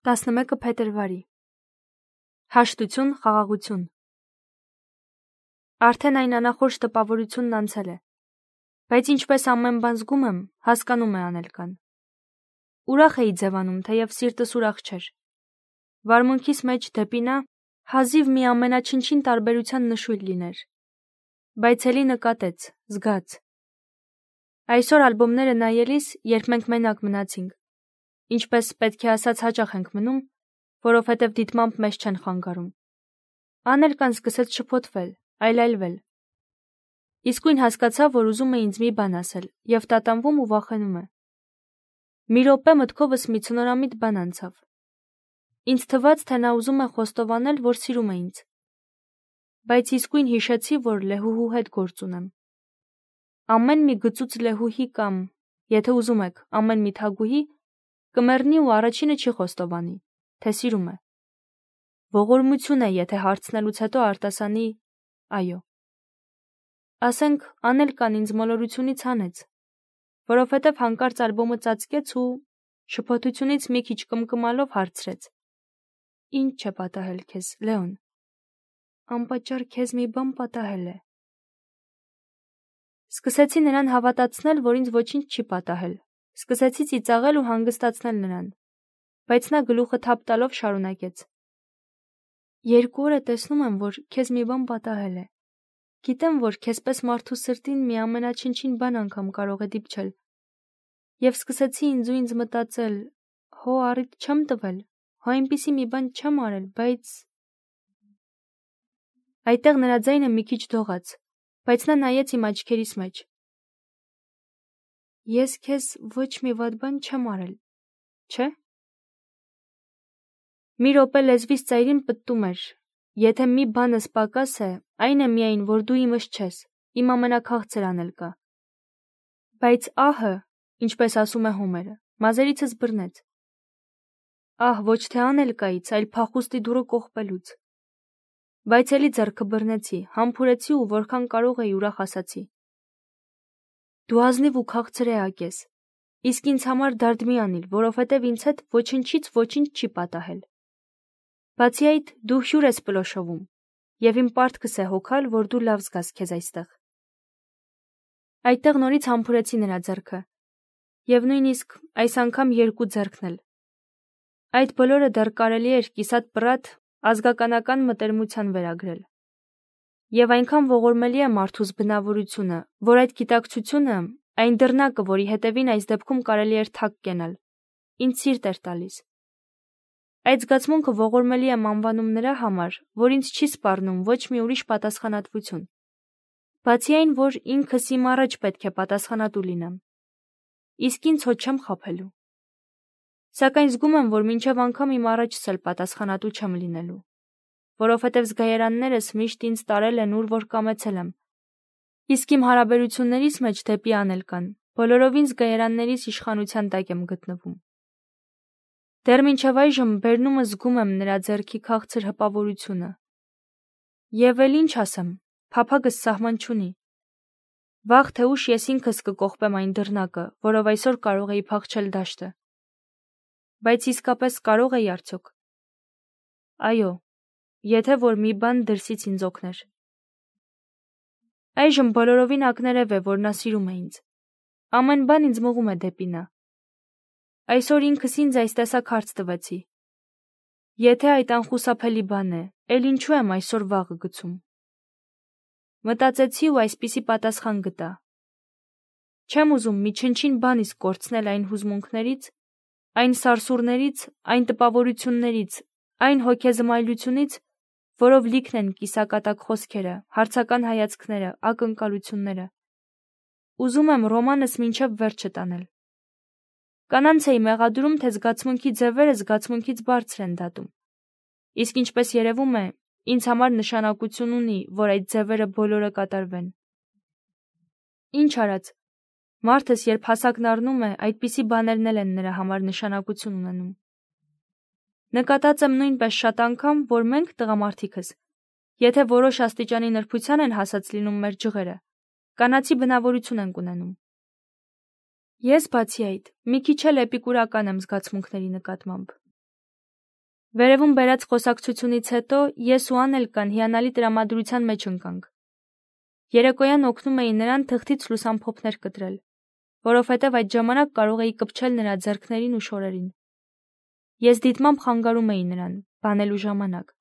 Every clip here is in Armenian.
11 փետրվարի Հաշտություն, խաղաղություն Արդեն այն անախորժ տպավորությունն անցել է, բայց ինչպես ամեն բան զգում եմ, հասկանում է Անելկան։ Ուրախ էի ձևանում, թեև սիրտս ուրախ չէր։ Վարմունքիս մեջ դեպի նա հազիվ մի ամենաչնչին տարբերության նշույլ լիներ, բայց էլի նկատեց, զգաց։ Այսօր ալբոմները նայելիս, երբ մենք մենակ մնացինք, ինչպես պետք է ասած հաճախ ենք մնում, որովհետև դիտմամբ մեզ չեն խանգարում։ Անելկան սկսեց շփոթվել, այլայլվել։ Իսկույն հասկացա, որ ուզում է ինձ մի բան ասել, և տատանվում ու վախենում է։ Մի րոպե մտքովս մի ցնորամիտ բան անցավ։ Ինձ թվաց, թե նա ուզում է խոստովանել, որ սիրում է ինձ։ Բայց իսկույն հիշեցի, որ Լեհուհու հետ գործ ունեմ։ Ամեն մի գծուծ Լեհուհի կամ, եթե ուզում եք, ամեն մի թագուհի կմեռնի ու առաջինը չի խոստովանի, թե սիրում է։ Ողորմություն է, եթե հարցնելուց հետո արտասանի այո։ Ասենք, Անելկան ինձ մոլորությունից հանեց, որովհետև հանկարծ ալբոմը ծածկեց ու շփոթությունից մի քիչ կմկմալով հարցրեց. Ինչ է պատահել քեզ, Լեոն։ Անպատճառ քեզ մի բան պատահել է։ Սկսեցի նրան հավատացնել, որ ինձ ոչինչ չի պատահել։ Սկսեցի ծիծաղել ու հանգստացնել նրան, բայց նա գլուխը թափ տալով շարունակեց. 2 օր է տեսնում եմ, որ քեզ մի բան պատահել է։ Գիտեմ, որ քեզպես մարդու սրտին մի ամենաչնչին բան անգամ կարող է դիպչել։ Եվ սկսեցի ինձ մտածել, հո առիթ չեմ տվել, հո այնպիսի մի բան չեմ արել, բայց… Այդտեղ նրա ձայնը մի քիչ դողաց, բայց նա նայեց իմ աչքերիս մեջ։ Ես քեզ ոչ մի վատ բան չեմ արել, չէ՞։ Մի րոպե լեզվիս ծայրին պտտում էր. եթե մի բանս պակաս է, այն է միայն, որ դու իմս չես, իմ ամենաքաղցր Անելկա։ Բայց ահը, ինչպես ասում է Հոմերը, մազերիցս բռնեց։ Ահ, ոչ թե Անելկայից, այլ փախուստի դուռը կողպելուց։ Բայց էլի ձեռքը բռնեցի, համբուրեցի ու որքան կարող էի ուրախ ասացի. Դու ազնիվ ու քաղցր էակ ես, իսկ ինձ համար դարդ մի անիլ, որովհետև ինձ հետ ոչնչից ոչինչ չի պատահել։ Բացի այդ, դու հյուր ես պլոշովում, և իմ պարտքս է հոգալ, որ դու լավ զգաս քեզ այստեղ։ Այդտեղ նորից համբուրեցի նրա ձեռքը, և նույնիսկ այս անգամ 2 ձեռքն էլ։ Այդ բոլորը դեռ կարելի էր կիսատ պռատ ազգականական մտերմության վերագրել։ Եվ այնքան ողորմելի է մարդուս բնավորությունը, որ այդ գիտակցությունը, այն դռնակը, որի հետևին այս դեպքում կարելի էր թակ կենալ, ինձ սիրտ էր տալիս։ Այդ զգացմունքը ողորմելի եմ անվանում նրա համար, որ ինձ չի սպառնում ոչ մի ուրիշ պատասխանատվություն։ Բացի այն, որ ինքս իմ առաջ պետք է պատասխանատու լինեմ։ Իսկ ինձ հո չեմ խաբելու։ Սակայն զգում եմ, որ մինչև անգամ իմ առաջս էլ պատասխանատու չեմ լինելու, որովհետև զգայարաններս միշտ ինձ տարել են ուր որ կամեցել եմ։ Իսկ իմ հարաբերություններիս մեջ դեպի Անելկան բոլորովին զգայարաններիս իշխանության տակ եմ գտնվում։ Դեռ մինչև այժմ բերնումս զգում եմ նրա ձեռքի քաղցր հպավորությունը։ Եվ էլ ինչ ասեմ, փափագս սահման չունի։ Վաղ թե ուշ ես ինքս կկողպեմ այն դռնակը, որով այսօր կարող էի փախչել դաշտը։ Բայց իսկապես կարող էի արդյոք։ Այո, եթե որ մի բան դրսից ինձ օգներ։ Այժմ բոլորովին ակներև է, որ նա սիրում է ինձ։ Ամեն բան ինձ մղում է դեպի նա։ Այսօր ինքս ինձ այս տեսակ հարց տվեցի. եթե այդ անխուսափելի բան է, էլ ինչու եմ այսօր վաղը գցում։ Մտածեցի ու այսպիսի պատասխան գտա. չեմ ուզում մի չնչին բան իսկ կորցնել այն հուզմունքներից, այն սարսուռներից, այն տպավորություններից, այն հոգեզմայլությունից, որով լիքն են կիսակատակ խոսքերը, հարցական հայացքները, ակնկալությունները։ Ուզում եմ ռոմանս մինչև վերջը տանել։ Կանանց էի մեղադրում, թե զգացմունքի ձևերը զգացմունքից բարձր են դատում։ Իսկ ինչպես երևում է, ինձ համար նշանակություն ունի, որ այդ ձևերը բոլորը կատարվեն։ Ինչ արած, մարդս երբ հասակն առնում է, այդպիսի բաներն էլ են նրա համար նշանակություն ունենում։ Նկատած եմ նույնպես շատ անգամ, որ մենք տղամարդիկս, եթե որոշ աստիճանի նրբության են հասած լինում մեր ջղերը, կանացի բնավորություն ենք ունենում։ Ես բացի այդ, մի քիչ էլ էպիկուրական եմ զգացմունքների նկատմամբ։ Վերևում բերած խոսակցությունից հետո ես ու Անելկան հիանալի տրամադրության մեջ ընկանք։ Երեկոյան օգնում էի նրան թղթից լուսամփոփներ կտրել, որովհետև այդ ժամանակ կարող էի կպչել նրա ձեռքներին ու շորերին։ Ես դիտմամբ խանգարում էի նրան, բանելու ժամանակ։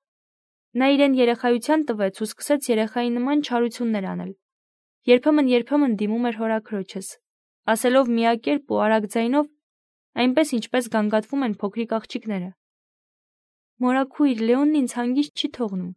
Նա իրեն երեխայության տվեց ու սկսեց երեխայի նման չարություններ անել։ Երբեմն դիմում էր հորաքրոջս, ասելով միակերպ ու արագ ձայնով, այնպես ինչպես գանգատվում են փոքրիկ աղջիկները. «Մորաքույր, Լեոնն ինձ հանգիստ չի թողնում»։